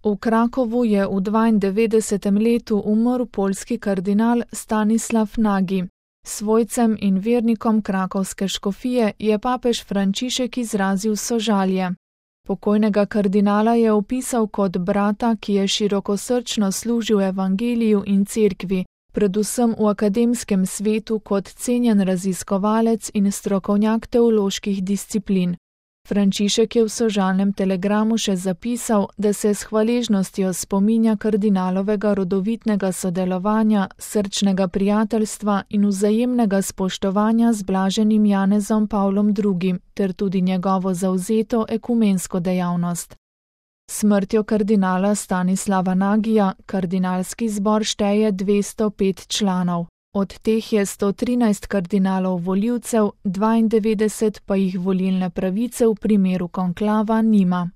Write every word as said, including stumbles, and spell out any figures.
V Krakovu je v dvaindevetdesetem letu umrl poljski kardinal Stanislav Nagy. Svojcem in vernikom krakovske škofije je papež Frančišek izrazil sožalje. Pokojnega kardinala je opisal kot brata, ki je širokosrčno služil evangeliju in cerkvi, predvsem v akademskem svetu kot cenjen raziskovalec in strokovnjak teoloških disciplin. Frančišek je v sožalnem telegramu še zapisal, da se s hvaležnostjo spominja kardinalovega rodovitnega sodelovanja, srčnega prijateljstva in vzajemnega spoštovanja z blaženim Janezom Pavlom drugim ter tudi njegovo zavzeto ekumensko dejavnost. Smrtjo kardinala Stanislava Nagyja kardinalski zbor šteje dvesto pet članov. Od teh je sto trinajst kardinalov volivcev, dvaindevetdeset pa jih volilne pravice v primeru konklava nima.